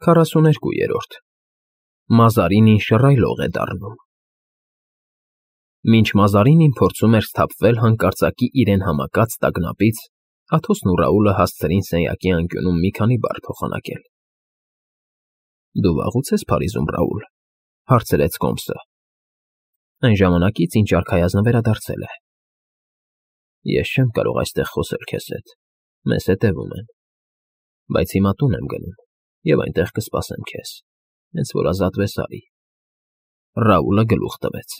42-րդ Մազարինին շռայլող է դառնում։ Մինչ Մազարինին փորձում էր սթափվել հանկարծակի իրեն համակած տագնապից, Աթոսն ու Ռաուլը հասցրին սենյակի անկյունում մի քանի բառ փոխանակել։ Դու վաղուց ես Փարիզում, Ռաուլ, հարցրեց Կոմսը։ Այն ժամանակից, ինչ արքայազնը վերադարձել է։ Ես չեմ կարող այստեղ խոսել քեզ հետ, մեզ հետևում են, բայց հիմա տուն եմ գնում և այնտեղ կսպասեմ քեզ, հենց որ ազատվես արի։ Ռաուլը գլուխ տվեց։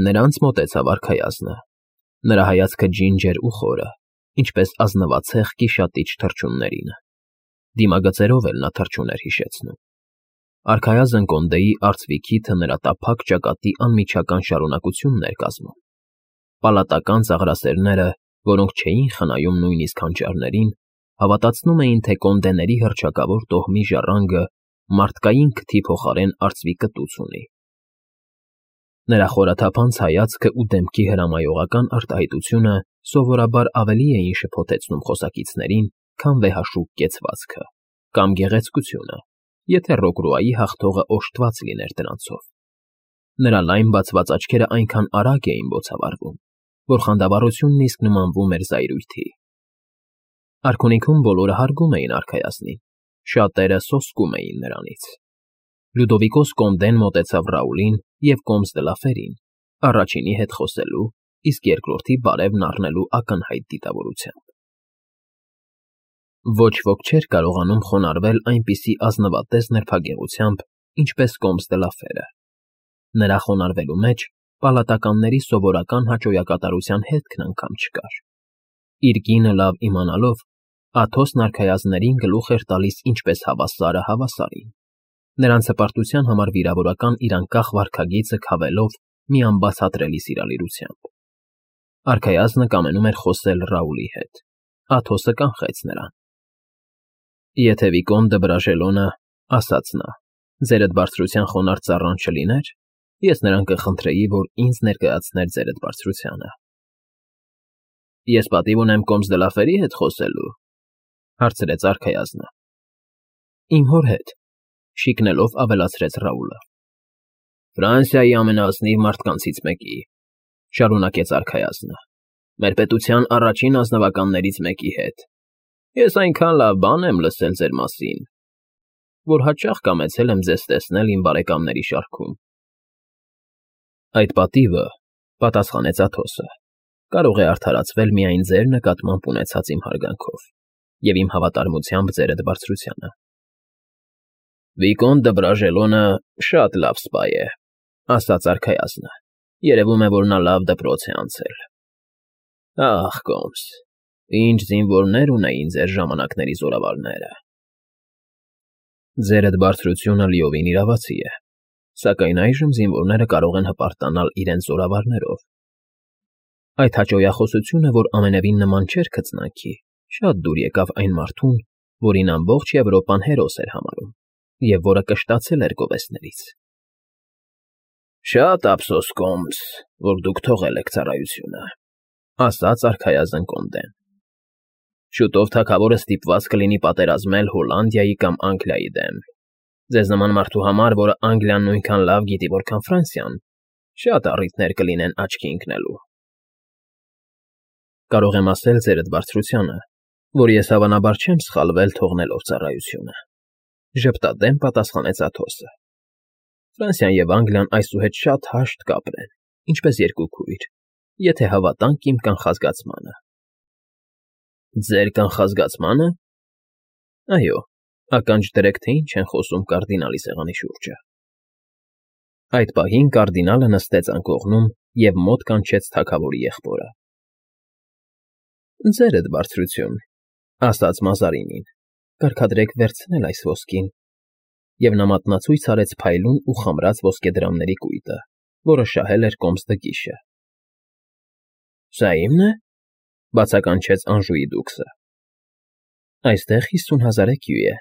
Նրանց մոտեցավ արքայազնը, նրա հայացքը ջինջեր ու խորը, ինչպես ազնվացեղ կիշատիչ թռչուններին։ Դիմագծերով էլ նա թռչուն էր հիշեցնում։ Արքայազն Կոնդեի արծվի նրա տափակ ճակատի անմիջական շարունակությունն էր կազմում։ Պալատական ծաղրասերները, որոնք չէին խնայում նույնիսկ հանճարներին, հավատացնում էին, թե կոնդեների հռչակավոր տոհմի ժառանգը մարդկային քթի փոխարեն արծվի կտուց ունի։ Նրա խորաթափանց հայացքը ու դեմքի հրամայողական արտահայտությունը սովորաբար ավելի էին շփոթեցնում խոսակիցներին, քան վեհաշուկ կեցվածքը կամ գեղեցկությունը, եթե Ռոկրուայի հաղթողը օժտված լիներ դրանցով։ Նրա լայն բացված աչքերը այնքան արագ էին բոցավառվում, որ խանդավառությունն իսկ նմանվում էր զայրույթի։ Արքունիքում բոլորը հարգում էին արքայազնին, շատերը սոսկում էին նրանից։ Լյուդովիկոս Կոնդեն մոտեցավ Ռաուլին և Կոմս դե լա Ֆերին, առաջինի հետ խոսելու, իսկ երկրորդի բարևն առնելու ակնհայտ դիտավորությամբ։ Ոչ ոք չէր կարողանում խոնարհվել այնպիսի ազնվատես նրբագեղությամբ, ինչպես Կոմս դե լա Ֆերը։ Նրա խոնարհվելու մեջ պալատականների սովորական հաճոյակատարության հետքն անգամ չկար։ Իր կինը լավ իմանալով, Աթոսն արքայազններին գլուխ էր տալիս ինչպես հավասարը հավասարին, նրանց հպարտության համար վիրավորական իր անկախ վարքագիծը քավելով մի անբացատրելի սիրալիրությամբ։ Արքայազնը կամենում էր խոսել Ռաուլի հետ։ Աթոսը կանխեց նրան։ Եթե Վիկոնդը Բրաժելոնը, ասաց նա, ձերդ բարձրության խոնարհ ծառան չլիներ, ես նրան կխնդրեի, որ ինձ ներկայացներ ձերդ բարձրությանը։ Ես պատիվ ունեմ Կոմս դե լա Ֆերի հետ խոսելու, հարցրեց արքայազնը։ Իմ հոր հետ, շիկնելով ավելացրեց Ռաուլը։ Ֆրանսիայի ամենաազնիվ մարդկանցից մեկի, շարունակեց արքայազնը, մեր պետության առաջին ազնվականներից մեկի հետ։ Ես այնքան լավ բան եմ լսել ձեր մասին, որ հաճախ կամեցել եմ ձեզ տեսնել իմ բարեկամների շարքում։ Այդ պատիվը, պատասխանեց Աթոսը, կարող է արդարացվել միայն ձեր նկատմամբ ունեցած իմ հարգանքով և իմ հավատարմությամբ ձերդ բարձրությանը։ Վիկոնդը Բրաժելոնը շատ լավ սպա է, ասաց արքայազնը, երևում է, որ նա լավ դպրոց է անցել։ Ախ, Կոմս, ինչ զինվորներ ունեին ձեր ժամանակների զորավարները։ Ձերդ բարձրությունը լիովին իրավացի է, սակայն այժմ զինվորները կարող են հպարտանալ իրենց զորավարներով։ Այդ հաճոյախոսությունը, որ ամենևին նման չէր քծնանքի, շատ դուր եկավ այն մարդուն, որին ամբողջ Եվրոպան հերոս էր համարում և որը կշտացել էր գովեստներից։ Շատ ափսոս, Կոմս, որ դուք թողել եք ծառայությունը, ասաց արքայազն Կոնդեն։ Շուտով թագավորը ստիպված կլինի պատերազմել Հոլանդիայի կամ Անգլիայի դեմ։ Ձեզ նման մարդու համար, որը Անգլիան նույնքան լավ գիտի, որքան Ֆրանսիան, շատ առիթներ կլինեն աչքի ընկնելու։ Կարող եմ ասել ձերդ բարձրությանը, որ ես հավանաբար չեմ սխալվել թողնելով ծառայությունը, ժպտադեմ պատասխանեց Աթոսը։ Ֆրանսիան և Անգլիան այսուհետ շատ հաշտ կապ ունեն, ինչպես երկու քույր, եթե հավատանք իմ կանխազգացմանը։ Ձեր կանխազգացմանը։ Այո, ականջ դրեք, թե ինչ են խոսում կարդինալի սեղանի շուրջը։ Այդ պահին կարդինալը նստեց անկողնում և մոտ կանչեց թագավորի եղբորը։ Ձերդ բարձրություն, ասաց Մազարինին, կարգադրեք վերցնել այս ոսկին, և նա մատնացույց արեց փայլուն ու խամրած ոսկեդրամների կույտը, որը շահել էր Կոմս դը Գիշը։ Սա իմն է, բացականչեց Անժուի դուքսը։ Այստեղ 50,000 էկյու է,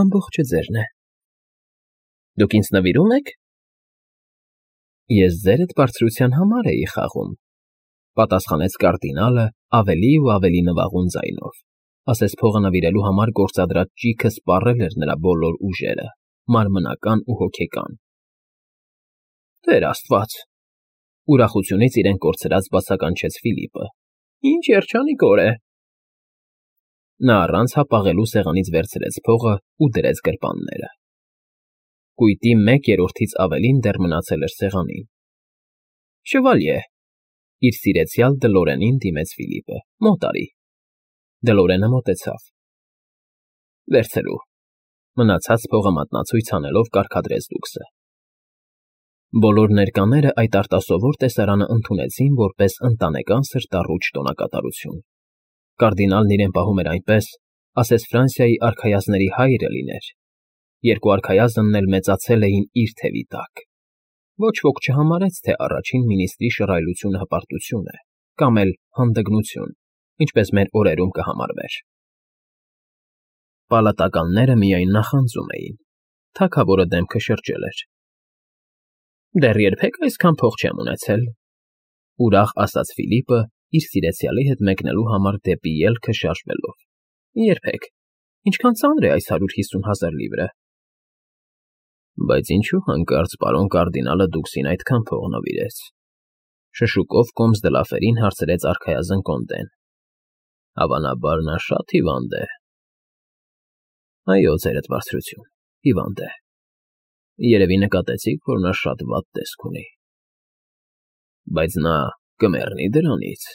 ամբողջը ձերն է։ Դուք ինձ նվիրում եք։ Ես ձերդ բարձրության համար էի խաղում, պատասխանեց կարդինալը ավելի ու ավելի նվաղուն ձայնով, ասես փողը նվիրելու համար գործադրած ճիգը սպառել էր նրա բոլոր ուժերը, մարմնական ու հոգեկան։ Տեր Աստված, ուրախությունից իրեն կորցրած բացականչեց Ֆիլիպը։ Ինչ երջանիկ օր է։ Նա առանց հապաղելու սեղանից վերցրեց փողը ու դրեց գրպանները։ Կույտի 1/3-ից ավելին դեռ մնացել էր սեղանին։ Շվալյե, իր սիրեցյալ Դլորենին դիմեց Ֆիլիպը։ Մոտ արի։ Դլորենը մոտեցավ։ Վերցրու։ Մնացած փողը մատնացույց անելով կարգադրեց դուքսը։ Բոլոր ներկաները այդ արտասովոր տեսարանը ընդունեցին որպես ընտանեկան սրտառուչ տոնակատարություն։ Կարդինալն իրեն պահում էր այնպես, ասես Ֆրանսիայի արքայազնների հայրը լիներ։ Երկու արքայազնն էլ մեծացել էին իր թևի տակ։ Ոչ ոք չհամարեց, թե առաջին մինիստրի շռայլությունը հպարտություն է, կամ էլ հանդգնություն, ինչպես մեր օրերում կհամարվեր։ Պալատականները միայն նախանձում էին։ Թագավորը դեմքը շրջել էր։ Դեռ երբեք այսքան փող չեմ ունեցել, ուրախ ասաց Ֆիլիպը, իր սիրեցյալի հետ մեկնելու համար դեպի ելքը շարժվելով։ Երբեք։ Ինչքան ծանր է այս 150,000 լիվրը։ Բայց ինչու հանկարծ պարոն կարդինալը դուքսին այդքան փող նվիրեց։ Շշուկով կոմս դլաֆերին հարցրեց արքայազն կոնդեն։ Հավանաբար նա շատ հիվանդ է։ Այո, ձերդ բարձրություն, հիվանդ է։ Երևի նկատեցիք, որ նա շատ վատ տեսք ունի։ Բայց նա կմեռնի դրանից։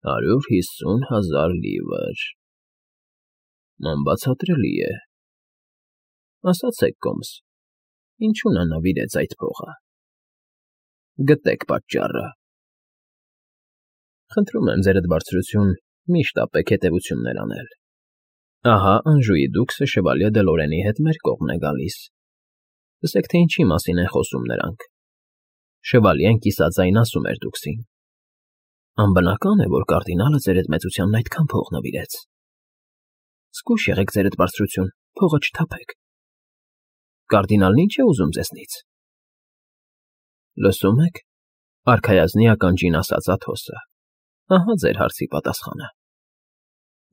150,000 լիվր։ Անբացատրելի է։ Ասացեք, կոմս, ինչու նա նվիրեց այդ փողը։ Գտեք պատճառը։ Խնդրում եմ ձերդ բարձրություն, միշտ ապեք հետևություններ անել։ Ահա Անժուի դուքսը շվալյե Դլորենի հետ մեր կողմն է գալիս։ Լսեք, թե ինչի մասին են խոսում նրանք։ Շվալյեն կիսաձայն ասում էր դուքսին. Անբնական է, որ կարդինալը ձերդ մեծությանն այդքան փող նվիրեց։ Զգույշ եղեք ձերդ բարձրություն, փողը չթափեք։ Կարդինալն ինչ է ուզում ձեզնից։ Լսում եք, արքայազնի ականջին ասաց Աթոսը։ Ահա ձեր հարցի պատասխանը։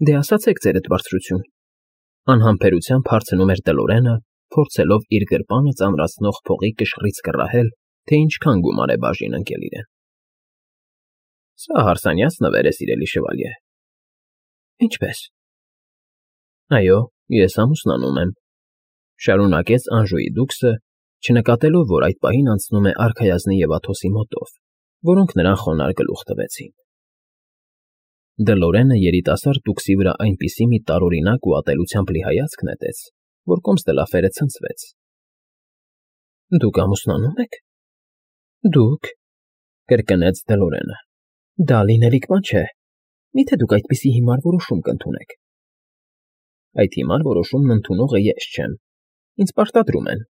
Դե ասացեք ձերդ բարձրություն։ Անհամբերությամբ հարցնում էր Դլորենը, փորձելով իր գրպանը ծանրացնող փողի կշռից կռահել, թե ինչքան գումար է բաժին ընկել իրեն։ Սա հարսանյաց նվեր է, սիրելի շվալյե։ Ինչպես։ Այո, ես ամուսնանում եմ, շարունակեց Անժուի դուքսը, չնկատելով, որ այդ պահին անցնում է արքայազնի և Աթոսի մոտով, որոնք նրան խոնարհ գլուխ տվեցին։ Դլորենը երիտասարդ դուքսի վրա այնպիսի մի տարօրինակ ու ատելությամբ լի հայացք նետեց, որ կոմս դլաֆերը ցնցվեց։ Դուք ամուսնանում եք։ Դուք, կրկնեց Դլորենը։ Դա լինելիք բան չէ։ Միթե դուք այդպիսի հիմար որոշում կընդունեք։ Այդ հիմար որոշումն ընդունողը ես չեմ։ Ինձ պարտադրում են,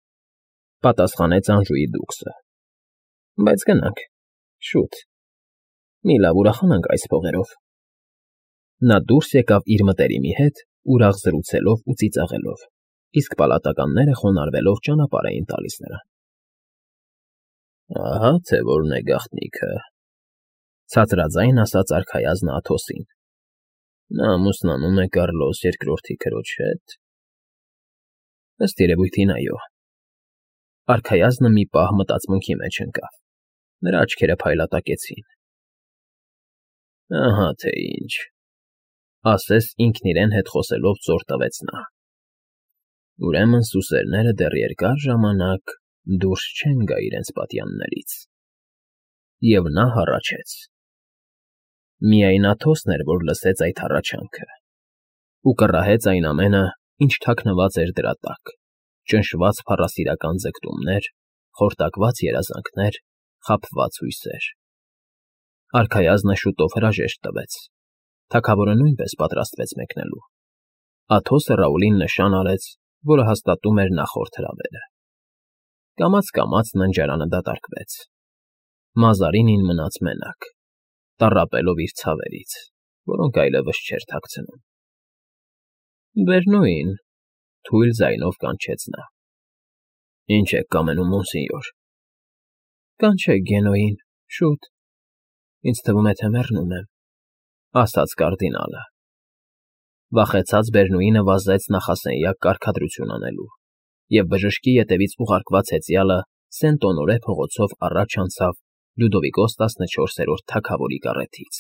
պատասխանեց Անժուի դուքսը։ Բայց գնանք, շուտ։ Մի լավ ուրախանանք այս փողերով։ Նա դուրս եկավ իր մտերիմի հետ, ուրախ զրուցելով ու ծիծաղելով, իսկ պալատականները խոնարհվելով ճանապարհ էին տալիս նրան։ Ահա թե որն է գաղտնիքը, ցածրաձայն ասաց արքայազնը Աթոսին։ Նա ամուսնանում է Կարլոս II քրոջ հետ։ Ըստ երևույթին, այո։ Արքայազնը մի պահ մտածմունքի մեջ ընկավ։ Նրա աչքերը փայլատակեցին։ Ահա թե ինչ, ասես ինքն իրեն հետ խոսելով ծոր տվեց նա։ Ուրեմն սուսերները դեռ երկար ժամանակ դուրս չեն գա իրենց պատյաններից։ Եվ նա հառաչեց։ Միայն Աթոսն էր, որ լսեց այդ հառաչանքը, ու կռահեց այն ամենը, ինչ թաքնված էր դրա տակ, ճնշված փառասիրական ձգտումներ, խորտակված երազանքներ, խաբված հույսեր։ Արքայազնը շուտով հրաժեշտ տվեց։ Թագավորը նույնպես պատրաստվեց մեկնելու։ Աթոսը Ռաուլին նշան արեց, որը հաստատում էր նախորդ հրավերը։ Կամաց ննջարանը դատարկվեց։ Մազարինին մնաց մենակ, տառապելով իր ցավերից, որոնք այլևս չէր թաքցնում։ Վերնոյին, թույլ ձայնով կանչեց նա։ Ինչ եք կամենում, մոնսինյոր։ Կանչեք Գենոյին, շուտ։ Ինձ թվում է, թե մեռնում եմ, ասաց կարդինալը։ Վախեցած Բերնուինը վազեց նախասենյակ կարգադրություն անելու և բժշկի ետևից ուղարկված հեծյալը Սեն֊Օնորե փողոցով առաջ անցավ Լյուդովիկոս 14-րդ թագավորի կառեթից։